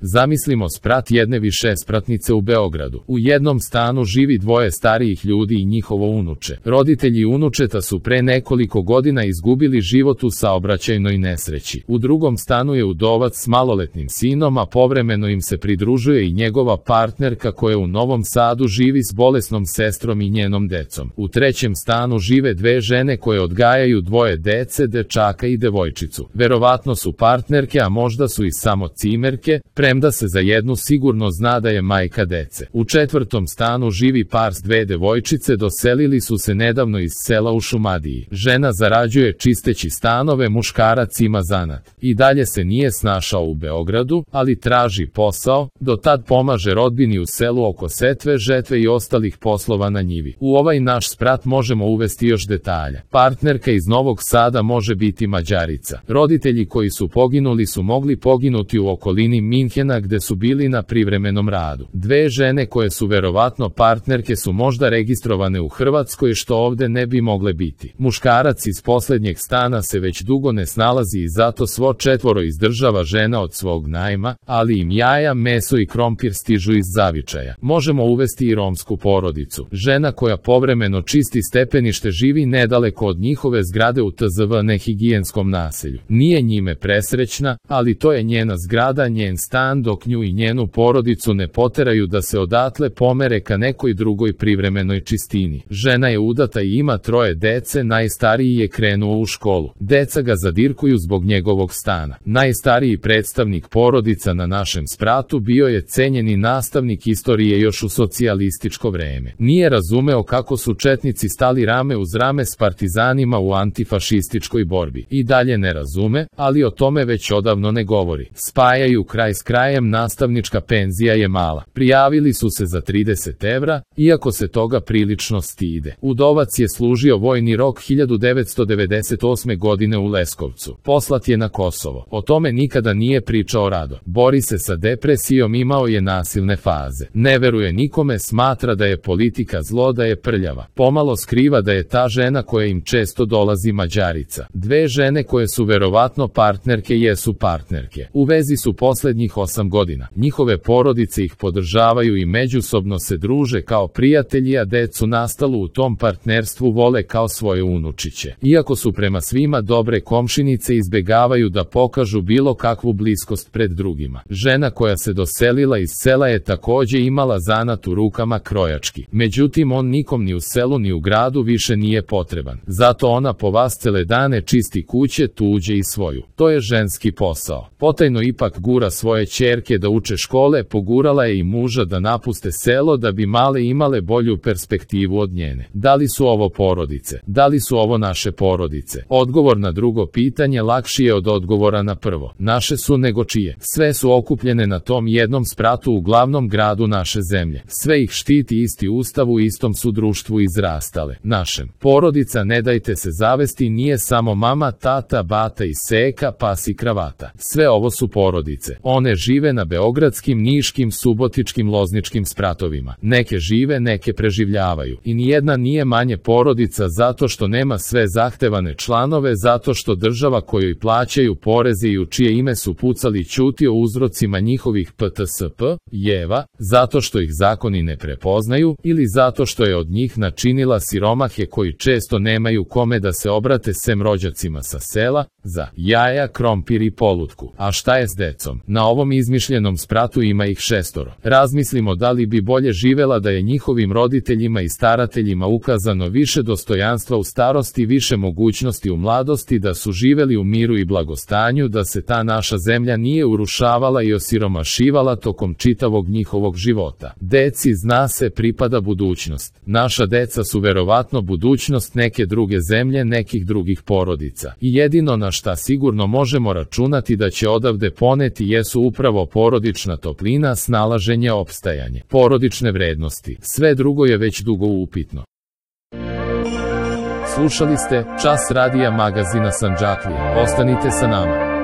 Zamislimo sprat jedne višespratnice u Beogradu. U jednom stanu živi dvoje starijih ljudi i njihovo unuče. Roditelji unučeta su pre nekoliko godina izgubili život u saobraćajnoj nesreći. U drugom stanu je udovac s maloletnim sinom, a povremeno im se pridružuje i njegova partnerka koja u Novom Sadu živi s bolesnom sestrom i njenom decom. U trećem stanu žive dve žene koje odgajaju dvoje dece, dečaka i devojčicu. Verovatno su partnerke, a možda su i samo cimerke, premda se za jednu sigurno zna da je majka dece. U četvrtom stanu živi par s dve devojčice, doselili su se nedavno iz sela u Šumadiji. Žena zarađuje čisteći stanove, muškarac ima zanat. I dalje se nije snašao u Beogradu, ali traži posao, do tad pomaže rodbini u selu oko setve, žetve i ostalih poslova na njivi. U ovaj naš sprat možemo uvesti još detalja. Partnerka iz Novog Sada može biti Mađarica. Roditelji koji su poginuli su mogli poginuti u okolini Minhena gde su bili na privremenom radu. Dve žene koje su verovatno partnerke su možda registrovane u Hrvatskoj, što ovde ne bi mogle biti. Muškarac iz poslednjeg stana se već dugo ne snalazi i zato svo četvoro izdržava žena od svog najma, ali im jaja, meso i krompir stižu iz zavičaja. Možemo uvesti i romsku porodicu. Žena koja povremeno čisti stepenište živi nedaleko od njihove zgrade u tzv. Nehigijenskom naselju. Nije njime presrećna, ali to je njena zgrada, njen stan, dok nju i njenu porodicu ne poteraju da se odatle pomere ka nekoj drugoj privremenoj čistini. Žena je udata i ima troje dece, najstariji je krenuo u školu. Deca ga zadirkuju zbog njegovog stana. Najstariji predstavnik porodica na našem spratu bio je cenjeni nastavnik istorije još u socijalističko vreme. Nije razumeo kako su četnici stali rame uz rame s partizanima u antifašističkoj borbi. I dalje ne razume, ali o tome već odavno ne govori. Spajaju kraj s krajem, nastavnička penzija je mala. Prijavili su se za 30 evra, iako se toga prilično stide. Udovac je služio vojni rok 1998. godine u Leskovcu. Poslat je na Kosovo. O tome nikada nije pričao rado. Bori se sa depresijom, imao je nasilne faze. Ne veruje nikome, smatra da je politika zlo, da je prljava. Pomalo skriva da je ta žena koja im često dolazi Mađarica. Dve žene koje su verovatno partnerke jesu partnerke. U vezi su poslednjih 8 godina. Njihove porodice ih podržavaju i međusobno se druže kao prijatelji, a decu nastalu u tom partnerstvu vole kao svoje unučiće. Iako su prema svima dobre komšinice, izbegavaju da pokažu bilo kakvu bliskost pred drugima. Žena koja se doselila iz sela je takođe imala zanat u rukama, krojački. Međutim, on nikom ni u selu ni u gradu više nije potreban. Zato ona po vascele dane čisti kuće, tuđe i svoju. To je ženski posao. Potajno ipak gura svoje ćerke da uče škole, pogurala je i muža da napuste selo da bi male imale bolju perspektivu od njene. Da li su ovo porodice? Da li su ovo naše porodice? Odgovor na drugo pitanje lakši je od odgovora na prvo. Naše su nego čije. Sve su okupljene na tom jednom spratu u glavnom gradu naše zemlje. Sve ih štiti isti ustav, u istom su društvu izrastale. Našem. Porodica, ne dajte se zavesti, nije samo mama, tata, bata i seka, pas i kravata. Sve ovo su porodice. One žive na beogradskim, niškim, subotičkim, lozničkim spratovima. Neke žive, neke preživljavaju. I nijedna nije manje porodica zato što nema sve zahtevane članove, zato što država kojoj plaćaju poreze i u čije ime su pucali ćuti o uzrocima njihovih PTSP, jeva, zato što ih zakoni ne prepoznaju, ili zato što je od njih načinila siromahe koji često nemaju kome da se obrate sem rođacima sa sela, za jaja, krompir i polutku. A šta je s decom? Na ovom izmišljenom spratu ima ih 6. Razmislimo da li bi bolje živela da je njihovim roditeljima i starateljima ukazano više dostojanstva u starosti, više mogućnosti u mladosti, da su živeli u miru i blagostanju, da se ta naša zemlja nije urušavala i osiromašivala tokom čitavog njihovog života. Deci, zna se, pripada budućnost. Naša deca su verovatno budućnost neke druge zemlje, nekih drugih porodica. I jedino na šta sigurno možemo računati da će odavde poneti jesu upravo porodična toplina, snalaženje, opstajanje, porodične vrednosti. Sve drugo je već dugo upitno. Slušali ste Čas radija magazina Sandžaklije. Ostanite sa nama.